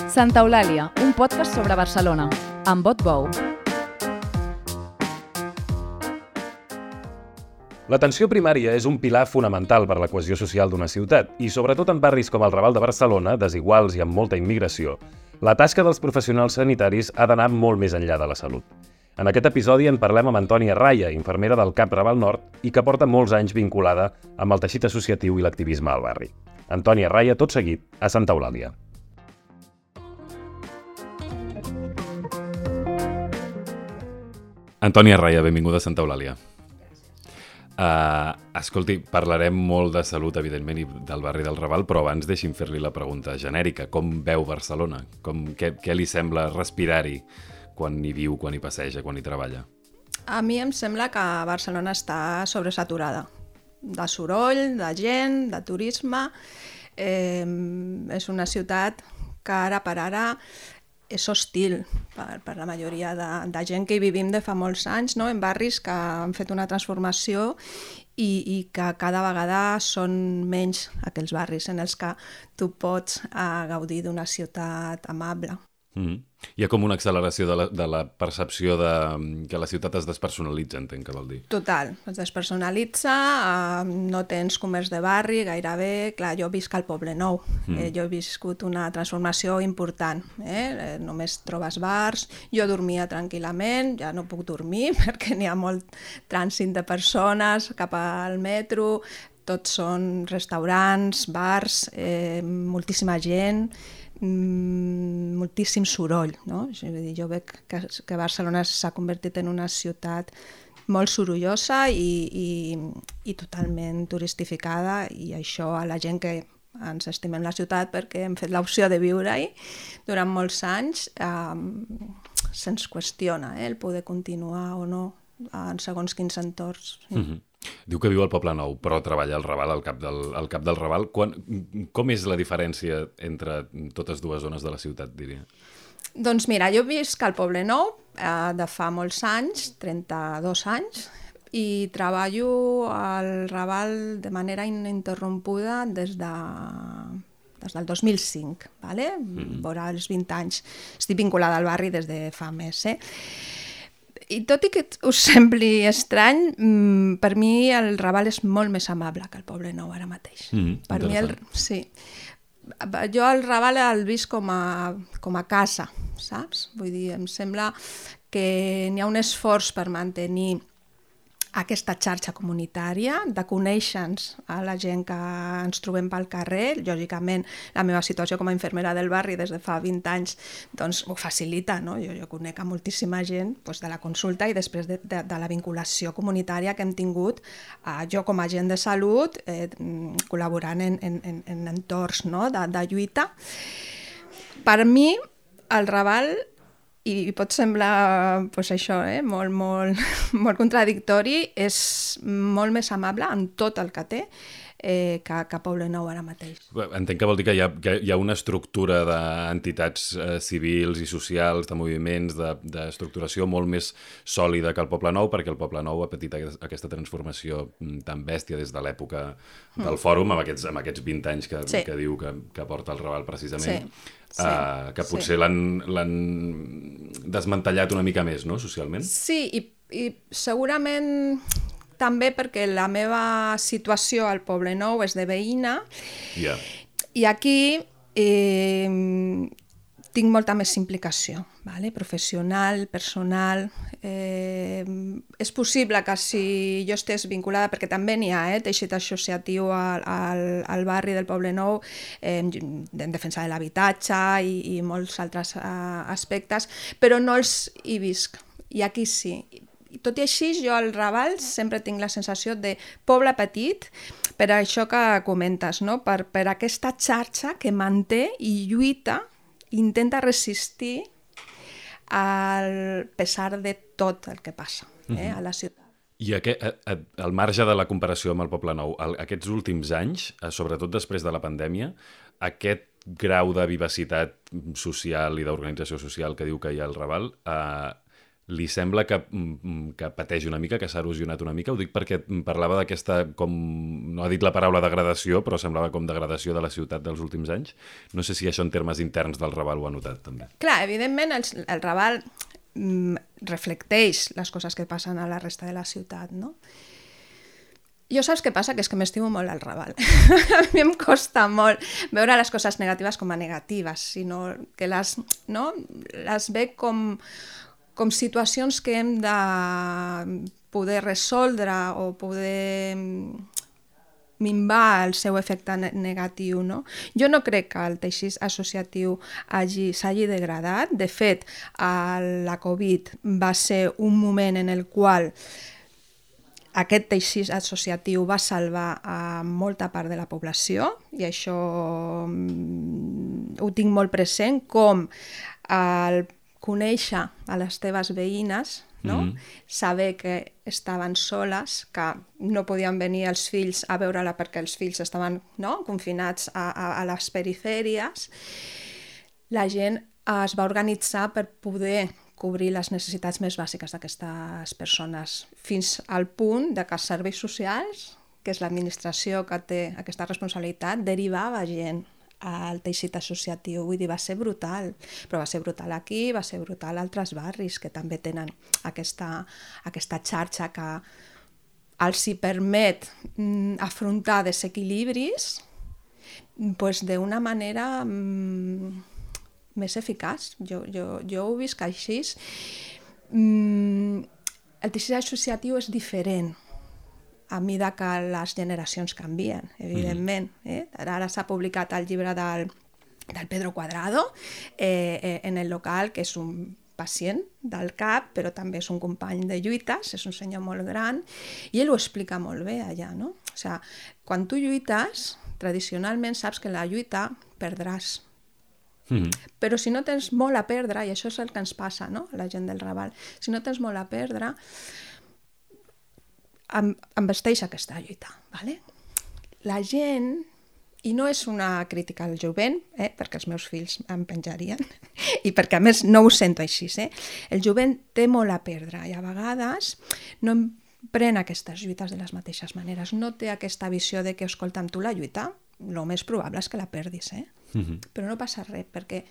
Santa Eulàlia, un podcast sobre Barcelona, amb Bot Bou. L'atenció primària és un pilar fonamental per a la cohesió social d'una ciutat i, sobretot en barris com el Raval de Barcelona, desiguals i amb molta immigració, la tasca dels professionals sanitaris ha d'anar molt més enllà de la salut. En aquest episodi en parlem amb Antònia Raya, infermera del CAP Raval Nord i que porta molts anys vinculada amb el teixit associatiu i l'activisme al barri. Antònia Raya, tot seguit, a Santa Eulàlia. Antònia Raya, benvinguda a Santa Eulàlia. Escolti, parlarem molt de salut, evidentment, i del barri del Raval, però abans deixi'm fer-li la pregunta genèrica. Com veu Barcelona? Què li sembla respirar-hi quan hi viu, quan hi passeja, quan hi treballa? A mi em sembla que Barcelona està sobresaturada de soroll, de gent, de turisme. És una ciutat que ara per ara és hostil per la majoria de gent que hi vivim de fa molts anys, no? En barris que han fet una transformació i que cada vegada són menys aquells barris en els que tu pots gaudir d'una ciutat amable. Hi ha com una acceleració de la percepció que la ciutat es despersonalitza, entenc que vol dir. Total, es despersonalitza, no tens comerç de barri gairebé. Clar, jo visc al Poblenou, jo he viscut una transformació important. Només trobes bars, jo dormia tranquil·lament, ja no puc dormir perquè n'hi ha molt trànsit de persones cap al metro, tots són restaurants, bars, moltíssima gent, moltíssim soroll, no? Jo veig que Barcelona s'ha convertit en una ciutat molt sorollosa i totalment turistificada, i això a la gent que ens estimem la ciutat perquè hem fet l'opció de viure-hi durant molts anys se'ns qüestiona el poder continuar o no en segons quins entorns. Diu que viu al Poblenou, però treballa al Raval, al cap del Raval. Com és la diferència entre totes dues zones de la ciutat, diria? Doncs mira, jo visc al Poblenou de fa molts anys, 32 anys, i treballo al Raval de manera ininterrompuda des del 2005, ¿vale? Vora els 20 anys. Estic vinculada al barri des de fa més, I tot i que us sembli estrany, per mi el Raval és molt més amable que el Poblenou ara mateix. Per mi sí. Jo el Raval el visc com a casa, saps? Vull dir, em sembla que n'hi ha un esforç per mantenir aquesta xarxa comunitària, de conèixer-nos a la gent que ens trobem pel carrer. Lògicament, la meva situació com a infermera del barri des de fa 20 anys doncs, ho facilita, no? Jo conec a moltíssima gent de la consulta i després de la vinculació comunitària que hem tingut, jo com a agent de salut, col·laborant en entorns, no? de lluita. Per mi, el Raval, i pot semblar això, molt contradictori, és molt més amable en tot el que té que Poblenou ara mateix. Entenc que vol dir que hi ha una estructura d'entitats civils i socials, de moviments, d'estructuració molt més sòlida que el Poblenou, perquè el Poblenou ha patit aquesta transformació tan bèstia des de l'època del Fòrum, amb aquests 20 anys que diu que porta el Raval precisament, que potser l'han desmantellat una mica més, no?, socialment? Sí, i segurament també perquè la meva situació al Poblenou és de veïna, i aquí tinc molta més implicació, professional, personal. És possible que si jo estés vinculada, perquè també n'hi ha teixit associatiu al barri del Poblenou, en defensa de l'habitatge i molts altres aspectes, però no els hi visc, i aquí sí. Tot i així, jo al Raval sempre tinc la sensació de poble petit, per això que comentes, no? Per aquesta xarxa que manté i lluita, intenta resistir al pesar de tot el que passa a la ciutat. I al marge de la comparació amb el Poblenou, aquests últims anys, sobretot després de la pandèmia, aquest grau de vivacitat social i d'organització social que diu que hi ha al Raval, li sembla que pateix una mica, que s'ha erosionat una mica? Ho dic perquè parlava d'aquesta, com no ha dit la paraula degradació, però semblava com degradació de la ciutat dels últims anys. No sé si això en termes interns del Raval ho ha notat, també. Clar, evidentment el Raval reflecteix les coses que passen a la resta de la ciutat, no? Jo saps què passa? Que és que m'estimo molt al Raval. A mi em costa molt veure les coses negatives com a negatives, sinó que les veig com situacions que hem de poder resoldre o poder minvar el seu efecte negatiu, no? Jo no crec que el teixit associatiu s'hagi degradat. De fet, la Covid va ser un moment en el qual aquest teixit associatiu va salvar a molta part de la població, i això ho tinc molt present, com el conèixer a les teves veïnes, no? Saber que estaven soles, que no podien venir els fills a veure-la perquè els fills estaven confinats a les perifèries. La gent es va organitzar per poder cobrir les necessitats més bàsiques d'aquestes persones, fins al punt de que els serveis socials, que és l'administració que té aquesta responsabilitat, derivava gent al teixit associatiu. Vull dir, va ser brutal, però va ser brutal aquí, va ser brutal a altres barris que també tenen aquesta xarxa que els hi permet afrontar desequilibris d'una manera més eficaç. Jo ho visc així. El teixit associatiu és diferent a mesura que les generacions canvien, evidentment. Ara s'ha publicat el llibre del Pedro Cuadrado en el local, que és un pacient del CAP, però també és un company de lluites, és un senyor molt gran, i ell ho explica molt bé allà, no? O sigui, quan tu lluites, tradicionalment saps que en la lluita perdràs. Però si no tens molt a perdre, i això és el que ens passa, no? A la gent del Raval, si no tens molt a perdre, embesteix aquesta lluita, ¿vale? La gent, i no és una crítica al jovent, perquè els meus fills em penjarien, i perquè a més no ho sento així, el jovent té molt a perdre, i a vegades no pren aquestes lluites de les mateixes maneres, no té aquesta visió de que, escolta, amb tu la lluita, el més probable és que la perdis, però no passa res, perquè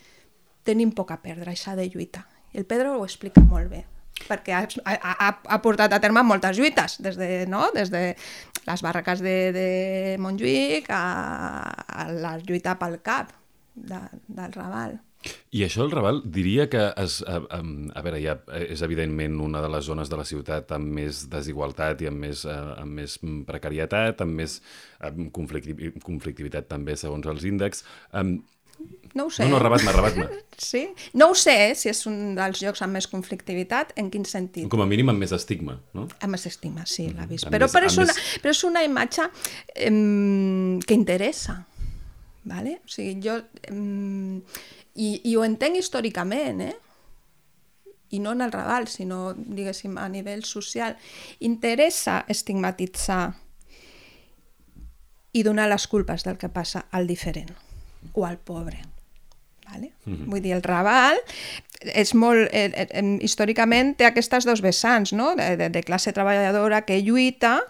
tenim poc a perdre, i s'ha de lluitar. I el Pedro ho explica molt bé, perquè ha portat a terme moltes lluites, des de les barraques de Montjuïc a la lluita pel CAP del Raval. I això el Raval diria que a veure, ja és evidentment una de les zones de la ciutat amb més desigualtat i amb més precarietat, amb més conflictivitat també segons els índexs. No ho sé. No, rebat-me. Sí? No ho sé, si és un dels llocs amb més conflictivitat, en quin sentit? Com a mínim amb més estigma, no? Amb més estigma, sí, l'ha vist. Però és una imatge que interessa, ¿vale? O sigui, jo... I ho entenc històricament, i no en el Raval, sinó, diguéssim, a nivell social. Interessa estigmatitzar i donar les culpes del que passa al diferent o al pobre. Vale? Vull dir, el Raval és molt, històricament té aquestes dos vessants, no? De classe treballadora que lluita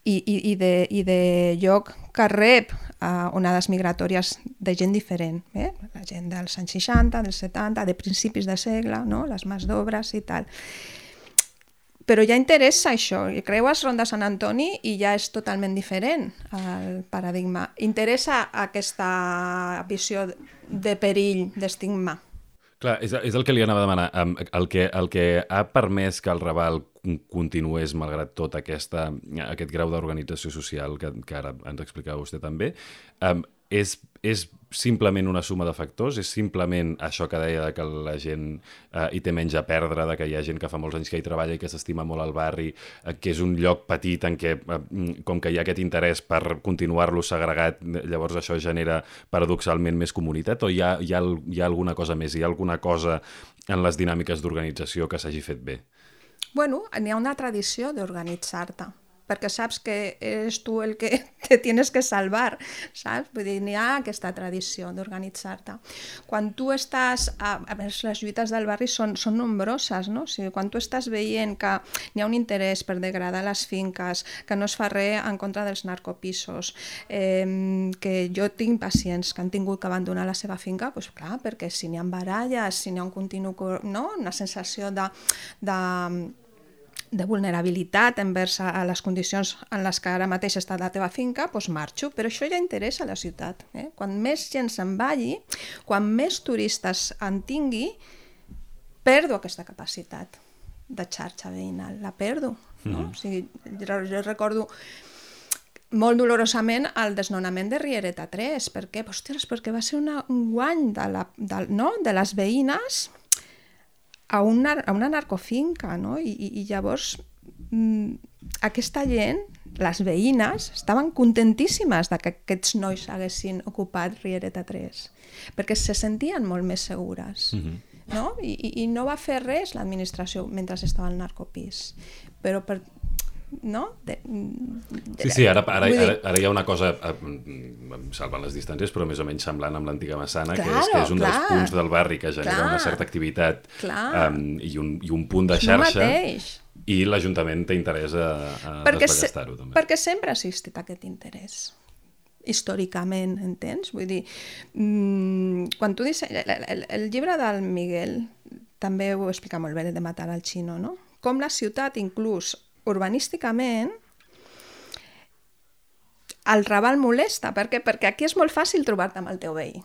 i de lloc que rep onades migratòries de gent diferent, la gent dels anys 60, dels 70, de principis de segle, no? Les mas d'obres i tal. Però ja interessa això, creues Ronda Sant Antoni i ja és totalment diferent el paradigma. Interessa aquesta visió de perill, d'estigma. Clar, és el que li anava a demanar. El que ha permès que el Raval continués, malgrat tot aquest grau d'organització social que ara ens explicava vostè també, és simplement una suma de factors? És simplement això que deia que la gent hi té menys a perdre, que hi ha gent que fa molts anys que hi treballa i que s'estima molt al barri, que és un lloc petit en què, com que hi ha aquest interès per continuar-lo segregat, llavors això genera paradoxalment més comunitat, o hi ha alguna cosa més? Hi ha alguna cosa en les dinàmiques d'organització que s'hagi fet bé? Bueno, n'hi ha una tradició d'organitzar-te. perquè saps que eres tu el que te tienes que salvar, saps? Vull dir, n'hi ha aquesta tradició d'organitzar-te. Quan tu estàs... A més, les lluites del barri són nombroses, no? O sigui, quan tu estàs veient que n'hi ha un interès per degradar les finques, que no es fa res en contra dels narcopisos, que jo tinc pacients que han tingut que abandonar la seva finca, doncs clar, perquè si n'hi ha baralles, si n'hi ha un continu... no? Una sensació de vulnerabilitat envers a les condicions en les que ara mateix està la teva finca, doncs marxo. Però això ja interessa a la ciutat. Quan més gent se'n vagi, quan més turistes en tingui, perdo aquesta capacitat de xarxa veïnal, la perdo. No? O sigui, jo recordo molt dolorosament el desnonament de Riereta 3. Per què? Ostres, perquè va ser un guany de les veïnes a una narcofinca, no? I llavors aquesta gent, les veïnes, estaven contentíssimes que aquests nois haguessin ocupat Riereta 3, perquè se sentien molt més segures. No? I no va fer res l'administració mentre estava al narcopís. Però no? Sí, ara hi ha una cosa, salvant les distàncies, però més o menys semblant amb l'antiga Massana, que és un dels punts del barri que genera una certa activitat i un punt de xarxa, i l'Ajuntament té interès a desballestar-ho també. Perquè sempre ha existit aquest interès, històricament, entens? Vull dir, quan tu dius... El llibre del Miguel també ho explica molt bé, de Matar al Chino, no? Com la ciutat, inclús urbanísticament, el Raval molesta. Per què? Perquè aquí és molt fàcil trobar-te amb el teu veí.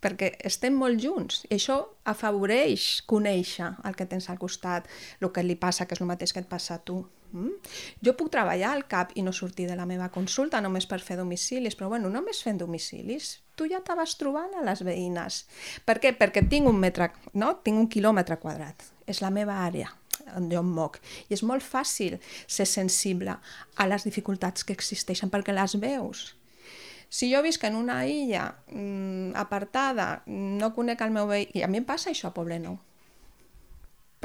Perquè estem molt junts. I això afavoreix conèixer el que tens al costat, el que li passa, que és el mateix que et passa a tu. Jo puc treballar al CAP i no sortir de la meva consulta només per fer domicilis, però bueno, només fent domicilis tu ja te vas trobant a les veïnes. Per què? Perquè tinc un quilòmetre quadrat. És la meva àrea on jo em moc. I és molt fàcil ser sensible a les dificultats que existeixen perquè les veus. Si jo visc en una illa apartada, no conec el meu veí... I a mi em passa això a Poblenou.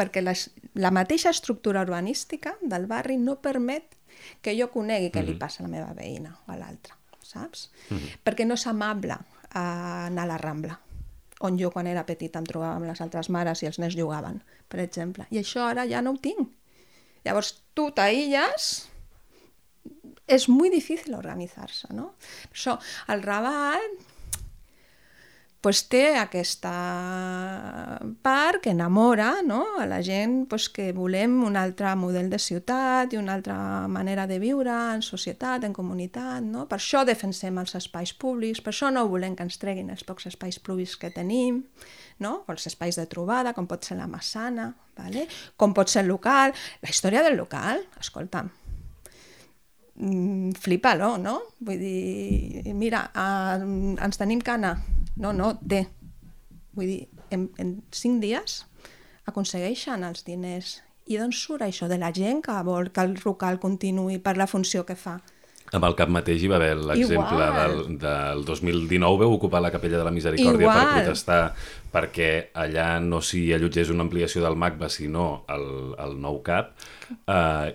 Perquè la mateixa estructura urbanística del barri no permet que jo conegui què li passa a la meva veïna o a l'altra, saps? Perquè no és amable anar a la Rambla, on jo quan era petita em trobava amb les altres mares i els nens jugaven, per exemple. I això ara ja no ho tinc. Llavors tu t'aïlles, és molt difícil organitzar-se, no? Per això el Raval té aquesta part que enamora, no? A la gent que volem un altre model de ciutat i una altra manera de viure en societat, en comunitat, no? Per això defensem els espais públics, per això no volem que ens treguin els pocs espais públics que tenim, no? O els espais de trobada, com pot ser la Massana, ¿vale? Com pot ser el local. La història del local, escolta'm, flipa-lo, no? Vull dir, mira, ens tenim que anar. No, té. Vull dir, en 5 dies aconsegueixen els diners. I d'on surt això de la gent que vol que el local continuï per la funció que fa? Amb el CAP mateix hi va haver l'exemple del 2019, vau ocupar la Capella de la Misericòrdia per protestar perquè allà no s'hi allotgés una ampliació del MACBA, sinó el nou CAP,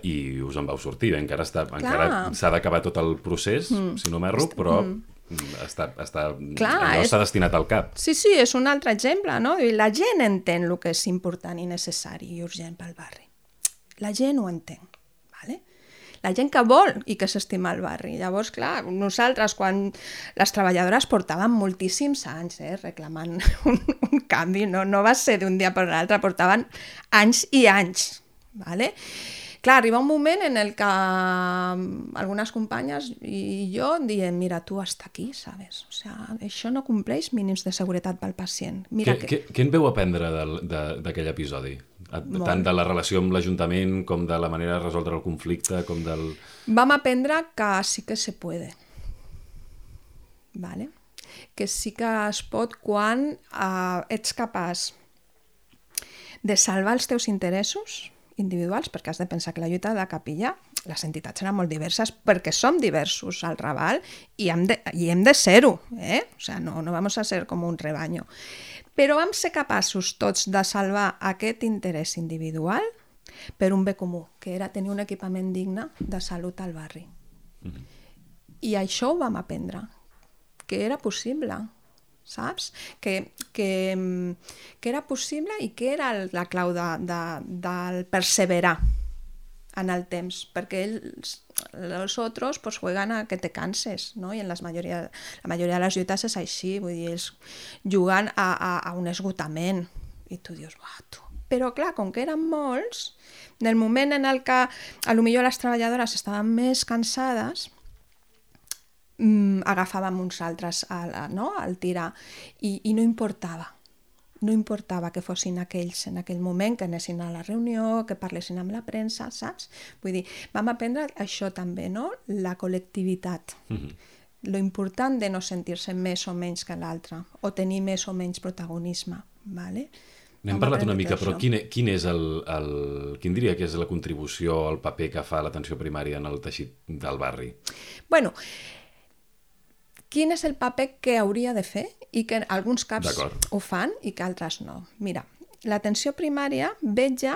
i us en vau sortir. Encara s'ha d'acabar tot el procés, si no m'erro, però allò s'ha destinat al CAP. Sí, és un altre exemple, no? La gent entén el que és important i necessari i urgent pel barri. La gent ho entén, ¿vale? La gent que vol i que s'estima el barri. Llavors, clar, nosaltres, quan les treballadores portaven moltíssims anys reclamant un canvi, no va ser d'un dia per l'altre, portaven anys i anys, ¿vale? Clar, arriba un moment en el que algunes companyes i jo diem, mira, tu hasta aquí, ¿sabes? O sea, això no compleix mínims de seguretat pel pacient. Què en veu aprendre d'aquell episodi? Tant de la relació amb l'Ajuntament com de la manera de resoldre el conflicte, com del... Vam aprendre que sí que se puede, ¿vale? Que sí que es pot quan ets capaç de salvar els teus interessos individuals, perquè has de pensar que la lluita de la Capilla, les entitats eren molt diverses, perquè som diversos al Raval i hem de ser-ho, O sea, no vamos a ser com un rebaño. Però vam ser capaços tots de salvar aquest interès individual per un bé comú, que era tenir un equipament digne de salut al barri. I això ho vam aprendre, que era possible, saps? Que era possible i que era la clau del perseverar en el temps, perquè los otros pues juegan a que te canses, ¿no? I en la majoria de les lluites és així, vull dir, ells juguen a un esgotament i tu dius, tu. Però clar, com que eren molts, en el moment en el que potser les treballadores estaven més cansades, agafàvem uns altres al tirar i no importava. No importava que fossin aquells en aquell moment, que anessin a la reunió, que parlessin amb la premsa, saps? Vull dir, vam aprendre això també, no? La col·lectivitat. Lo important de no sentir-se més o menys que l'altre, o tenir més o menys protagonisme, ¿vale? N'hem parlat una mica, però quin diria que és la contribució, el paper que fa l'atenció primària en el teixit del barri? Bueno, quin és el paper que hauria de fer i que alguns CAPs ho fan i que altres no. Mira, l'atenció primària vetlla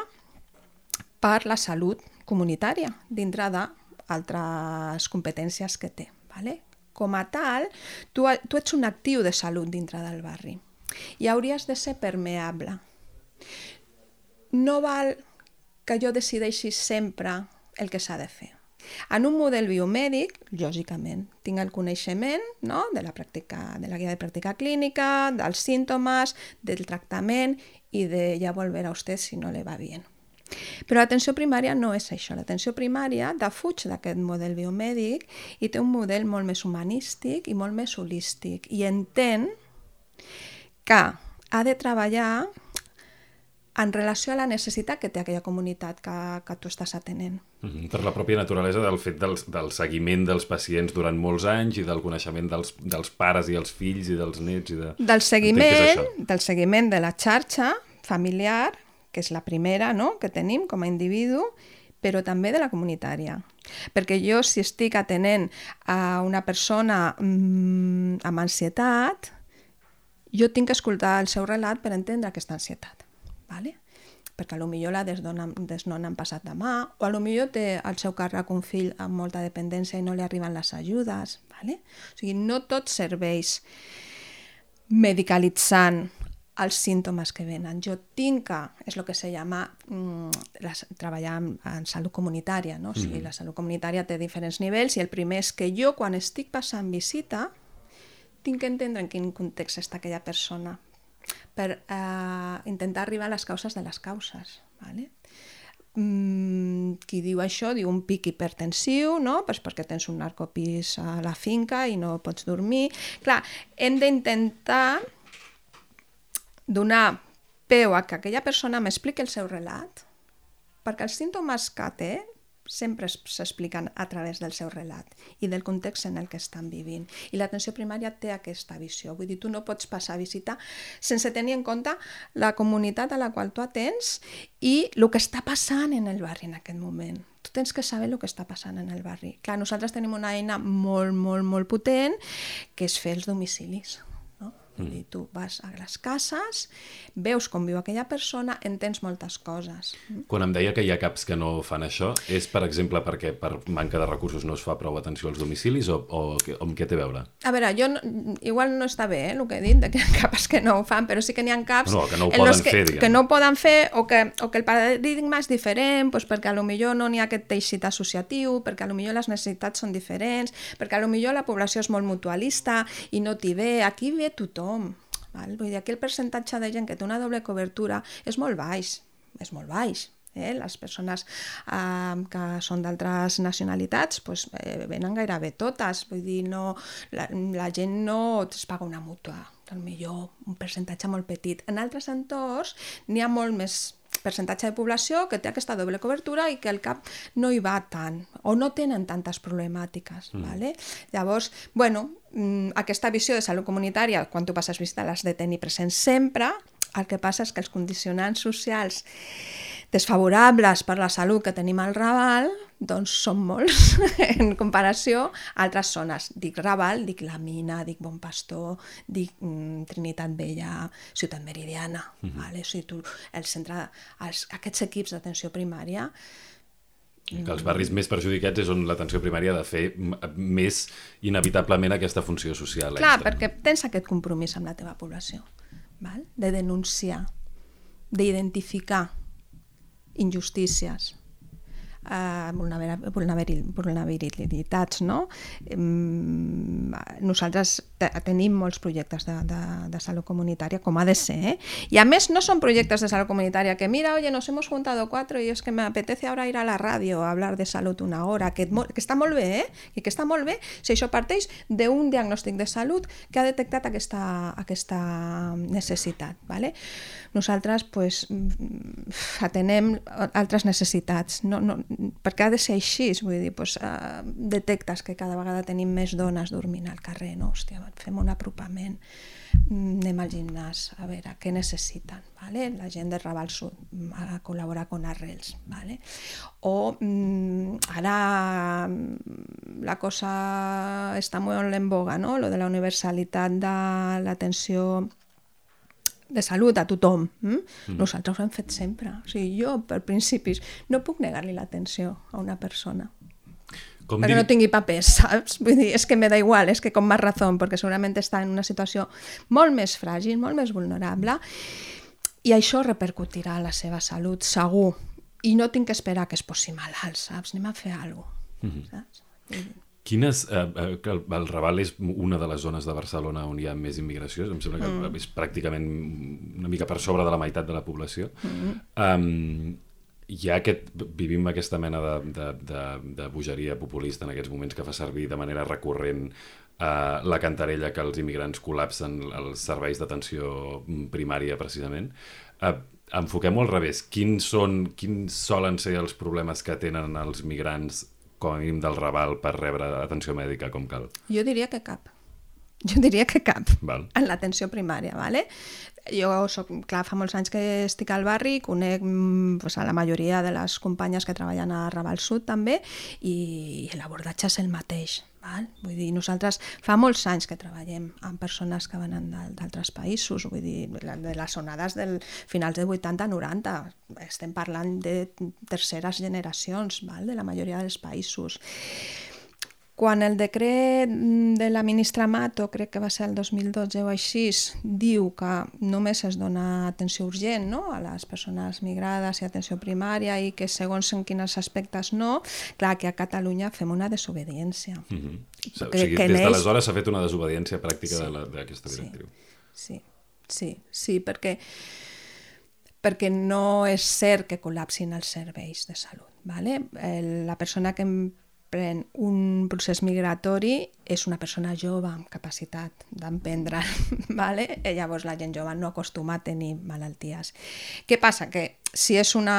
per la salut comunitària dintre d'altres competències que té. ¿Vale? Com a tal, tu ets un actiu de salut dintre del barri i hauries de ser permeable. No val que jo decideixi sempre el que s'ha de fer. En un model biomèdic, lògicament, tinc el coneixement, no?, de la guia de pràctica clínica, dels símptomes, del tractament i de ja volver a usted si no le va bien. Però l'atenció primària no és això. L'atenció primària defuig d'aquest model biomèdic i té un model molt més humanístic i molt més holístic i entén que ha de treballar en relació a la necessitat que té aquella comunitat que tu estàs atenent. Per la pròpia naturalesa del fet del seguiment dels pacients durant molts anys i del coneixement dels pares i els fills i dels nets. Del seguiment de la xarxa familiar, que és la primera, no?, que tenim com a individu, però també de la comunitària. Perquè jo, si estic atenent a una persona amb ansietat, jo tinc que escoltar el seu relat per entendre aquesta ansietat. ¿Vale? Perquè potser la desnona han passat de mà, o potser té al seu càrrec un fill amb molta dependència i no li arriben les ajudes. ¿Vale? O sigui, no tot serveix medicalitzant els símptomes que venen. Jo tinc que, és el que se llama treballar en salut comunitària, no? O sigui, la salut comunitària té diferents nivells i el primer és que jo, quan estic passant visita, tinc que entendre en quin context està aquella persona per intentar arribar a les causes de les causes. ¿Vale? Qui diu això diu un pic hipertensiu, no? Pues perquè tens un narcopís a la finca i no pots dormir. Clar, hem d'intentar donar peu a que aquella persona m'expliqui el seu relat, perquè els símptomes que té sempre s'expliquen a través del seu relat i del context en el que estan vivint. I l'atenció primària té aquesta visió. Vull dir, tu no pots passar a visita sense tenir en compte la comunitat a la qual tu atens i el que està passant en el barri en aquest moment. Tu tens que saber el que està passant en el barri. Clar, nosaltres tenim una eina molt, molt, molt potent, que és fer els domicilis. Vull dir, tu vas a les cases, veus com viu aquella persona, entens moltes coses. Quan em deia que hi ha CAPs que no fan això, és, per exemple, perquè per manca de recursos no es fa prou atenció als domicilis o amb què té a veure? A veure, igual no està bé el que he dit, que hi ha CAPs que no ho fan, però sí que n'hi ha CAPs que no ho poden fer, diguem. Que no ho poden fer o que el paradigma és diferent, doncs perquè potser no n'hi ha aquest teixit associatiu, perquè potser les necessitats són diferents, perquè potser la població és molt mutualista i no t'hi ve. Aquí ve tothom. Val? Vull dir, aquí el percentatge de gent que té una doble cobertura és molt baix, Les persones que són d'altres nacionalitats venen gairebé totes, vull dir, la gent no es paga una mútua, potser un percentatge molt petit. En altres entorns n'hi ha molt més percentatge de població que té aquesta doble cobertura i que el CAP no hi va tant, o no tenen tantes problemàtiques. Vale? Llavors, aquesta visió de salut comunitària, quan tu passes visita, l'has de tenir present sempre, El que passa és que els condicionants socials desfavorables per la salut que tenim al Raval doncs són molts en comparació a altres zones. Dic Raval, dic La Mina, dic Bon Pastor, dic Trinitat Vella, Ciutat Meridiana. Vale? O sigui, aquests equips d'atenció primària... Que els barris més perjudicats és on l'atenció primària ha de fer més inevitablement aquesta funció social. Clar, perquè tens aquest compromís amb la teva població, val? De denunciar, d'identificar injustícies, vulnerabilitats, no? Nosaltres tenim molts projectes de salut comunitària, com ha de ser, I a més no són projectes de salut comunitària que mira, oye, nos hemos juntado 4 y es que me apetece ahora ir a la radio a hablar de salut una hora, que està molt bé, I que està molt bé si això parteix d'un diagnòstic de salut que ha detectat aquesta necessitat, ¿vale? Nosaltres pues, atenem altres necessitats, perquè ha de ser així, vull dir, pues, detectes que cada vegada tenim més dones dormint al carrer, no? Hòstia, fem un apropament, anem al gimnàs, a veure què necessiten, ¿vale? La gent de Raval Sud a col·laborar con Arrels, ¿vale? O ara la cosa està molt en boga, no? Lo de la universalitat de l'atenció de salut a tothom. Nosaltres ho hem fet sempre. O sigui, jo, per principis, no puc negar-li l'atenció a una persona. Perquè no tingui papers, saps? Vull dir, és que me da igual, és que com més raó, perquè segurament està en una situació molt més fràgil, molt més vulnerable, i això repercutirà a la seva salut, segur. I no tinc que esperar que es posi malalt, saps? Anem a fer alguna cosa, saps? El Raval és una de les zones de Barcelona on hi ha més immigració, em sembla que és pràcticament una mica per sobre de la meitat de la població. Vivim aquesta mena de bogeria populista en aquests moments que fa servir de manera recurrent la cantarella que els immigrants col·lapsen els serveis d'atenció primària, precisament. Enfoquem-ho al revés. Quins solen ser els problemes que tenen els migrants com a mínim del Raval per rebre atenció mèdica com cal? Jo diria que cap. Val. En l'atenció primària, ¿vale? Jo fa molts anys que estic al barri, conec pues, a la majoria de les companyes que treballen a Raval Sud també, i l'abordatge és el mateix. Val? Vull dir, nosaltres fa molts anys que treballem amb persones que venen d'altres països, vull dir, de les onades del finals de 80-90, estem parlant de terceres generacions, val? De la majoria dels països. Quan el decret de la ministra Mato, crec que va ser el 2012 o així, diu que només es dona atenció urgent, no? A les persones migrades i atenció primària, i que segons en quins aspectes no, clar que a Catalunya fem una desobediència. O sigui, des d'aleshores s'ha fet una desobediència pràctica d'aquesta directriu. Sí, perquè no és cert que col·lapsin els serveis de salut. ¿Vale? La persona que pren un procés migratori és una persona jove amb capacitat d'emprendre, ¿vale? Llavors la gent jove no acostuma a tenir malalties. Què passa? Que si és un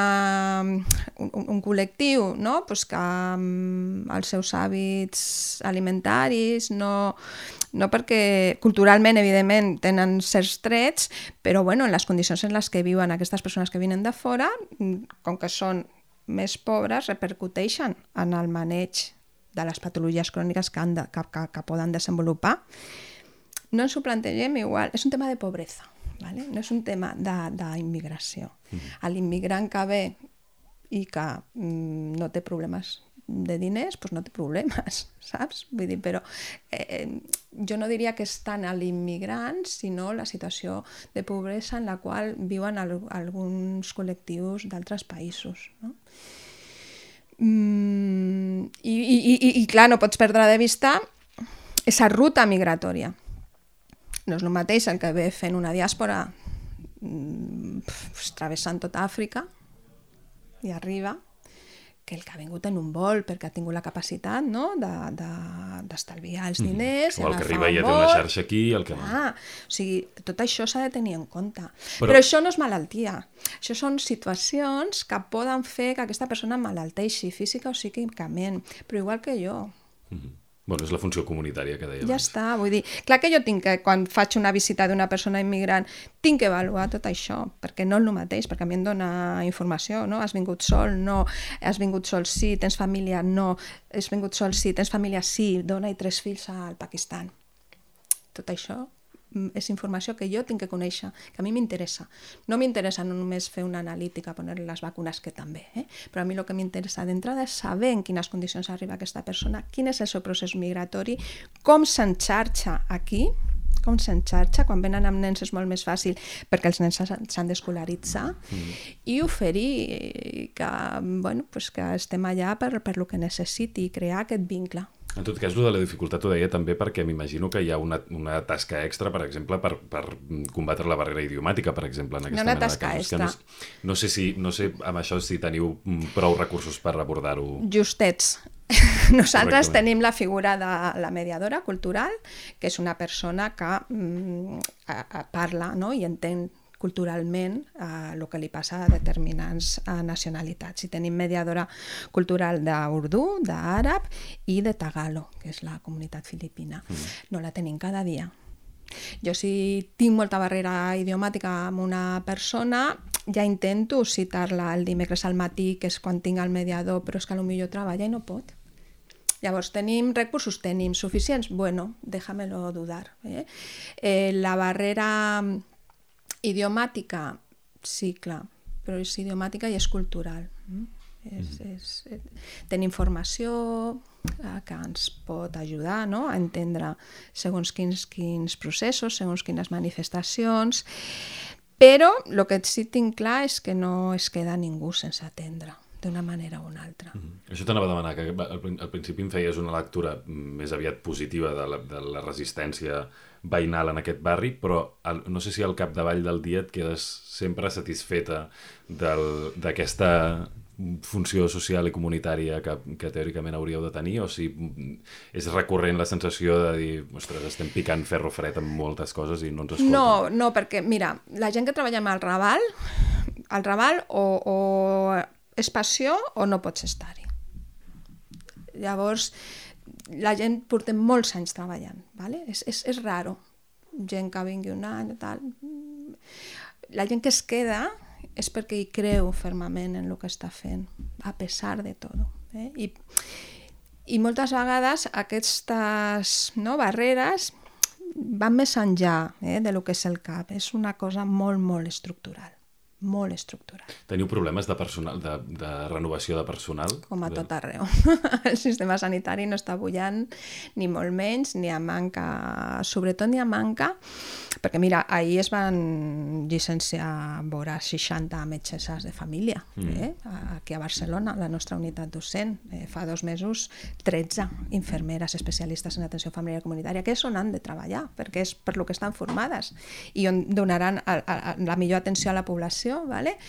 col·lectiu, no? Pues que els seus hàbits alimentaris no perquè culturalment, evidentment, tenen certs trets, però bueno, en les condicions en les que viuen aquestes persones que vinen de fora, com que són més pobres, repercuteixen en el maneig de les patologies cròniques que poden desenvolupar. No ens ho plantegem igual, és un tema de pobresa, ¿vale? No és un tema d'immigració. L'immigrant que ve i que no té problemes de diners, doncs no té problemes, saps? Vull dir, però jo no diria que és tant a l'immigrant, sinó la situació de pobresa en la qual viuen alguns col·lectius d'altres països, no? I clar, no pots perdre de vista aquesta ruta migratòria. No és el mateix el que ve fent una diàspora travessant tota Àfrica i arriba, que el que ha vingut en un vol perquè ha tingut la capacitat, no? d'estalviar els diners, o el que arriba i ja té una xarxa aquí, el que no. O sigui, tot això s'ha de tenir en compte. Però això no és malaltia. Això són situacions que poden fer que aquesta persona malalteixi física o psíquicament, però igual que jo. Bueno, és la funció comunitària que deia Ja està, vull dir, clar que jo tinc que, quan faig una visita d'una persona immigrant, tinc que avaluar tot això, perquè no és el mateix, perquè a mi em dona informació, no? Has vingut sol? No. Has vingut sol? Sí. Tens família? No. Has vingut sol? Sí. Tens família? Sí. Dona i 3 fills al Pakistan. Tot això és informació que jo tinc que conèixer, que a mi m'interessa. No m'interessa no només fer una analítica, poner les vacunes, que també, però a mi el que m'interessa d'entrada és saber en quines condicions arriba aquesta persona, quin és el seu procés migratori, com s'enxarxa aquí, quan venen amb nens és molt més fàcil perquè els nens s'han d'escolaritzar i oferir que, bueno, pues que estem allà per lo que necessiti i crear aquest vincle. En tot cas, de la dificultat ho deia també perquè m'imagino que hi ha una tasca extra, per exemple, per combatre la barrera idiomàtica, per exemple, en aquesta mena de casos. Una tasca extra. No sé amb això si teniu prou recursos per abordar-ho. Justets. Nosaltres tenim la figura de la mediadora cultural, que és una persona que parla, no? I entén culturalment el que li passa a determinants nacionalitats. I tenim mediadora cultural d'Urdú, d'àrab i de Tagalo, que és la comunitat filipina. No la tenim cada dia. Jo si tinc molta barrera idiomàtica amb una persona, ja intento citar-la el dimecres al matí, que és quan tinc el mediador, però és que potser treballa i no pot. Llavors, tenim recursos, tenim suficients? Bueno, déjamelo dudar. La barrera idiomàtica, sí, clar, però és idiomàtica i és cultural. Tenim informació que ens pot ajudar, no? A entendre segons quins processos, segons quines manifestacions, però el que sí tinc clar és que no es queda ningú sense atendre d'una manera o una altra. Això t'anava a demanar, que al principi em feies una lectura més aviat positiva de la resistència veïnal en aquest barri, però no sé si al capdavall del dia et quedes sempre satisfeta d'aquesta funció social i comunitària que teòricament hauríeu de tenir, o si és recurrent la sensació de dir, ostres, estem picant ferro fred amb moltes coses i no ens escolten. No, perquè, mira, la gent que treballa amb el Raval o és passió o no pots estar-hi. Llavors, la gent portem molts anys treballant, ¿vale? És raro, gent que vingui un any o tal. La gent que es queda és perquè hi creu fermament en el que està fent, a pesar de tot. I moltes vegades aquestes barreres van més enllà de lo que és el CAP. És una cosa molt, molt estructural. Molt estructural. Teniu problemes de personal, de renovació de personal? Com a tot arreu. El sistema sanitari no està bullant, ni molt menys, ni a manca, sobretot ni a manca, perquè mira, ahir es van llicenciar vora 60 metgesses de família, aquí a Barcelona, la nostra unitat docent. Fa 2 mesos, 13 infermeres especialistes en atenció familiar comunitària, que és on han de treballar, perquè és per lo que estan formades i on donaran la millor atenció a la població. Vale?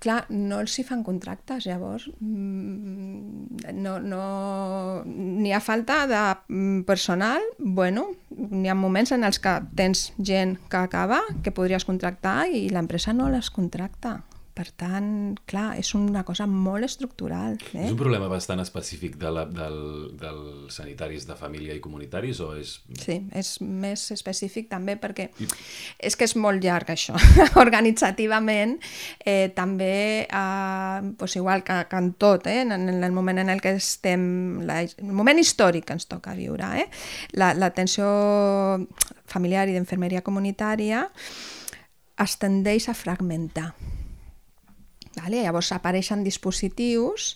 Clar, no els hi fan contractes, llavors n'hi ha falta de personal. Bueno, n'hi ha moments en els que tens gent que acaba, que podries contractar i l'empresa no les contracta. Per tant, clar, és una cosa molt estructural. És un problema bastant específic dels sanitaris de família i comunitaris, o és...? Sí, és més específic també perquè és que és molt llarg això. Organitzativament, també, igual que en tot, en el moment en el que estem, el moment històric que ens toca viure, l'atenció familiar i d'infermeria comunitària es tendeix a fragmentar. Llavors apareixen dispositius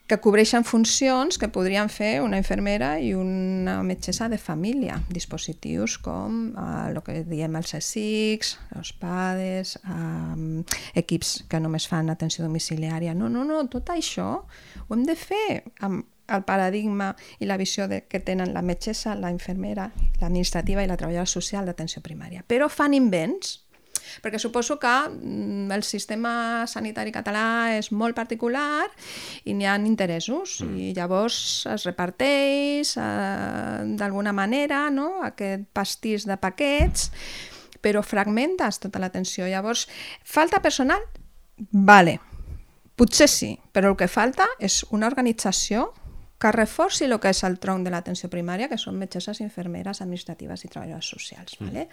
que cobreixen funcions que podrien fer una infermera i una metgessa de família. Dispositius com el que diem els CSICs, els PADES, equips que només fan atenció domiciliària. No, tot això ho hem de fer amb el paradigma i la visió que tenen la metgessa, la infermera, l'administrativa i la treballadora social d'atenció primària. Però fan invents, perquè suposo que el sistema sanitari català és molt particular i n'hi ha interessos i llavors es reparteix d'alguna manera, no? Aquest pastís de paquets, però fragmentes tota l'atenció. Llavors, falta personal? Vale, potser sí, però el que falta és una organització que reforci el que és el tronc de l'atenció primària, que són metgesses, infermeres, administratives i treballadores socials. ¿Vale?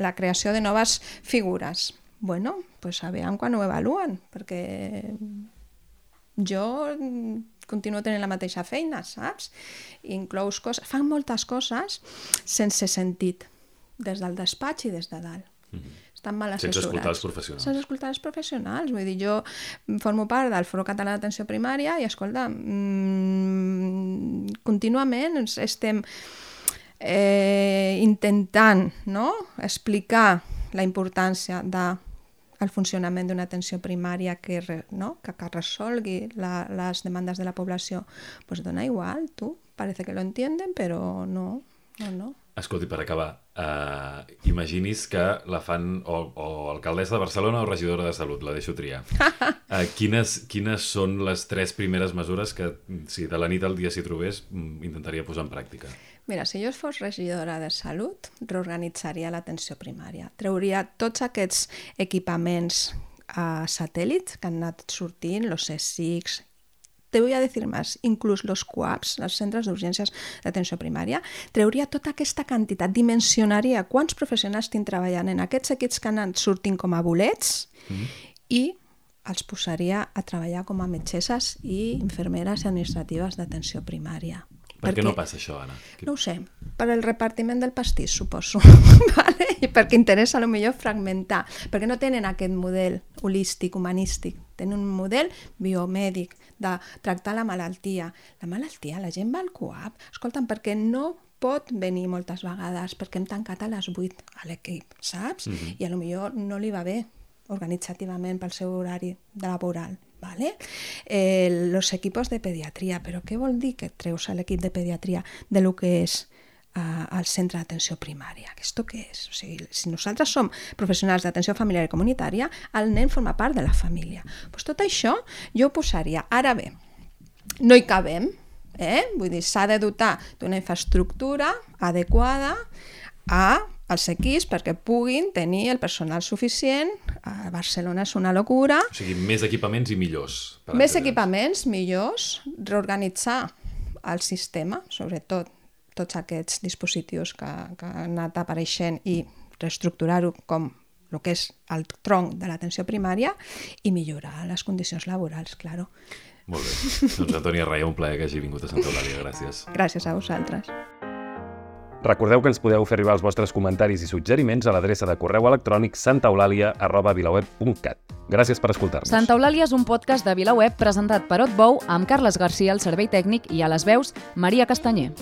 La creació de noves figures. Bueno, pues a veure quan ho evaluen, perquè jo continuo tenint la mateixa feina, saps? Inclous coses, fan moltes coses sense sentit, des del despatx i des de dalt. Estan mal assessorats. Sense escoltar els professionals. Sense escoltar els professionals. Vull dir, jo formo part del Foro Català d'Atenció Primària i, escolta, contínuament estem intentant, no?, explicar la importància del funcionament d'una atenció primària que resolgui les demandes de la població. Pues dona igual, tu. Parece que lo entienden, però no. Escolti, per acabar, imaginis que la fan o alcaldessa de Barcelona o regidora de Salut, la deixo triar. Quines són les 3 primeres mesures que, si de la nit al dia s'hi trobés, intentaria posar en pràctica? Mira, si jo fos regidora de Salut, reorganitzaria l'atenció primària. Trauria tots aquests equipaments satèl·lits que han anat sortint, los CSICs, te voy a decir más, inclús los CUAPs, els centres d'urgències d'atenció primària, trauria tota aquesta quantitat, dimensionaria quants professionals tinc treballant en aquests equips que han anat sortint com a bolets i els posaria a treballar com a metgesses i infermeres i administratives d'atenció primària. Per què no passa això, Anna? No ho sé, per el repartiment del pastís, suposo. Vale? I perquè interessa potser fragmentar, perquè no tenen aquest model holístic, humanístic, tenen un model biomèdic de tractar la malaltia. La malaltia, la gent va al CUAP, escolta'm, perquè no pot venir moltes vegades, perquè hem tancat a les 8 a l'equip, saps? I potser no li va bé organitzativament pel seu horari laboral. ¿Vale? Los equipos de pediatría, però què vol dir que treus l'equip de pediatria de lo que és el centre d'atenció primària? ¿Esto què és? O sigui, si nosaltres som professionals d'atenció familiar i comunitària, el nen forma part de la família. Pues tot això jo ho posaria. Ara bé, no hi cabem, vull dir, s'ha de dotar d'una infraestructura adequada als equips perquè puguin tenir el personal suficient. A Barcelona és una locura. O sigui, més equipaments i millors. Més equipaments, millors, reorganitzar el sistema, sobretot tots aquests dispositius que han anat apareixent i reestructurar-ho com el que és el tronc de l'atenció primària i millorar les condicions laborals, claro. Molt bé. Doncs Antònia Raia, un plaer que hagi vingut a Santa Eulàlia. Gràcies. Gràcies a vosaltres. Recordeu que ens podeu fer arribar els vostres comentaris i suggeriments a l'adreça de correu electrònic santaeulàlia@vilaweb.cat. Gràcies per escoltar-nos. Santa Eulàlia és un podcast de VilaWeb presentat per Otbou amb Carles Garcia al servei tècnic i a les veus Maria Castanyer.